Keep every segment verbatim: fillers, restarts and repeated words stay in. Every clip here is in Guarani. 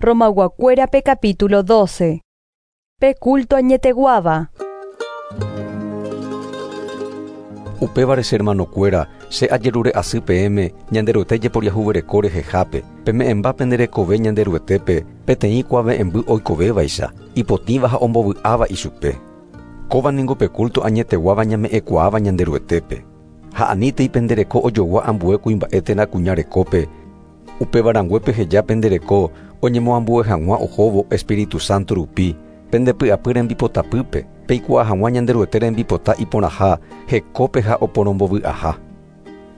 Romayguakuérape capítulo doce. Pe culto añeteguáva. Upévare che hermanokuéra, che ajerure asy peẽme Ñanderuete jeporiahuvereko rehehápe, peme'ẽmba penderekove Ñanderuetépe peteĩ kuave'ẽmby oikovévaicha, ipotĩva ha ombovy'áva ichupe. Kóva ningo pe culto añeteguáva ñame'ẽkuaáva Ñanderuetépe. Ha anítei pendereko ojogua ambue kuimba'e térã kuña rekópe, upéva peheja pendereko oñemoambue hag̃ua ohóvo Espíritu Santo rupi, pendepy'apy rembipotapýpe, peikuaa hag̃ua Ñanderuete rembipota iporãha, hekópe ha oporombovy'aha.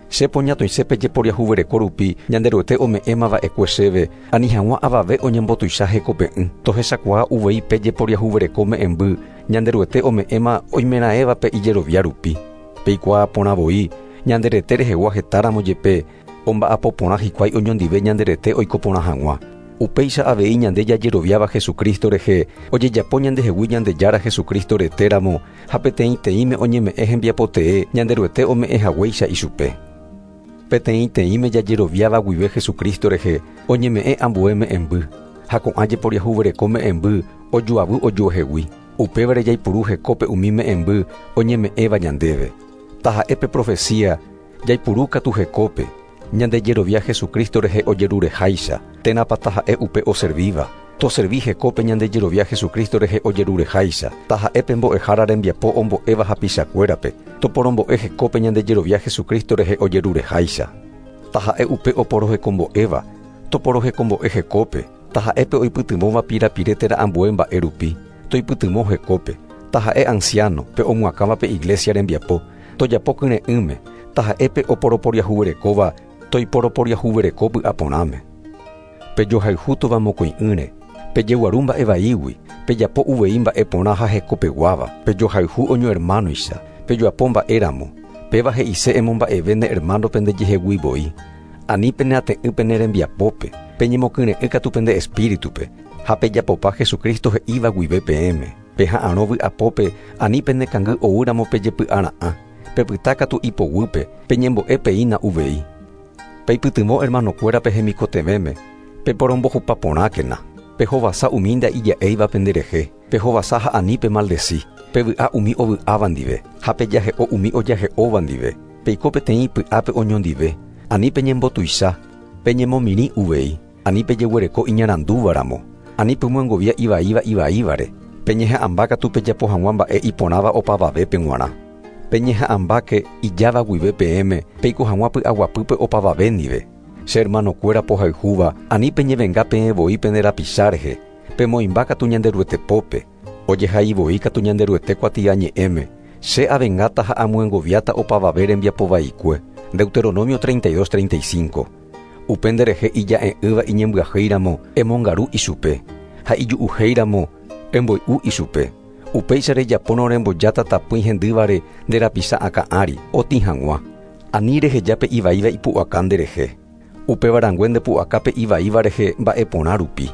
Che poñatoise pejeporiahuvereko rupi Ñanderuete ome'ẽmava'ekue chéve, ani hag̃ua avave oñembotuicha hekope'ỹ. Tohechakuaa uvei pejeporiahuvereko me'ẽmby, Ñanderuete ome'ẽma oimeraẽvape ijerovia rupi. Peikuaa porã voi, Ñanderete rehegua hetáramo jepe, omba'apo porã hikuái oñondive Ñanderete oiko porã hag̃ua. Upéicha avei ñande jajeroviáva Jesucristo rehe, ojejapo ñandehegui Ñandejára Jesucristo retéramo, ha peteĩteĩme oñeme'ẽ hembiapotee Ñanderuete ome'ẽ haguéicha ichupe. Peteĩteĩme jajeroviáva guive Jesucristo rehe, oñeme'ẽ ambue me'ẽmby, ha ko'ã jeporiahuvereko me'ẽmby ojoavy ojuehegui. Upévare jaipuru hekópe umi me'ẽmby oñeme'ẽva ñandéve. Taha'e pe profecía, jaipuru katu hekópe, ñandejerovia Jesucristo rehe ojerureháicha, térãpa taha'e upe oservíva. Toservi hekópe ñandejerovia Jesucristo rehe ojerureháicha, taha'e pe mbo'ehára rembiapo ombo'éva hapichakuérape, toporombo'e hekópe ñandejerovia Jesucristo rehe ojerureháicha. Taha'e upe oporohekombo'éva, toporohekombo'e hekópe, taha'e pe oipytyvõva pirapire térã ambue mba'e rupi, toipytyvõ hekópe, taha'e anciano pe omyakãva pe iglesia rembiapo, tojapo kyre'ỹme, taha'e pe oporoporiahuverekóva, toiporoporiahuvereko py'aporãme. Pejohayhútova mokõi'ỹre, pejeguaru mba'evaígui, pejapo uvei mba'eporã ha hekopeguáva, pejohayhu oñohermanoicha, pejoapo mba'éramo, péva he'ise emomba'eve ne hermano pendejehegui voi. Ani peneate'ỹ pene rembiapópe, peñemokyre'ỹ katu pende espíritupe, ha pejapopa Jesucristo he'íva guive peẽme. Peha'arõ vy'apópe, ani penekangy oúramo pejepy'ara'ã, pepyta katu ipoguýpe, peñembo'e peína uvei. Peipytyvõ hermanokuérape hemikotevẽme, peporombohupa porãkena, pehovasa umi nda'ija'éiva penderehe, pehovasa ha ani pemaldeci, pevy'a umi ovy'áva ndive, ha pejahe'o umi ojahe'óva ndive, peiko peteĩ py'ápe oñondive, ani peñembotuicha, peñemomirĩ uvei, ani pejeguereko iñarandúvaramo, ani pemyengovia ivaíva ivaívare, peñeha'ãmba katu pejapo hag̃ua mba'e iporãva opavavépe g̃uarã. Peñeha'ãmbáke ijáva guive peẽme, peiko hag̃ua py'aguapýpe opavave ndive. Che hermanokuéra pohayhúva, ani peñevenga peẽ voi pende rapicha rehe, pemoĩmba katu Ñanderuete pópe, ojehai voi katu Ñanderuete kuatiañe'ẽme, che avengáta ha amyengoviáta opavave rembiapovaikue. Deuteronomio treinta y dos treinta y cinco. Upe nderehe ija'e'ỹva iñembyahýiramo, emongaru ichupe, ha iju'uhéiramo, emboy'u ichupe. Upéicha rejapórõ rembojáta tapỹi hendývare nde rapicha akã ári, otĩ hag̃ua. Ani rehejápe ivaíva ipu'aka nderehe. Upéva rangue ndepu'akápe ivaíva rehe mba'eporã rupi.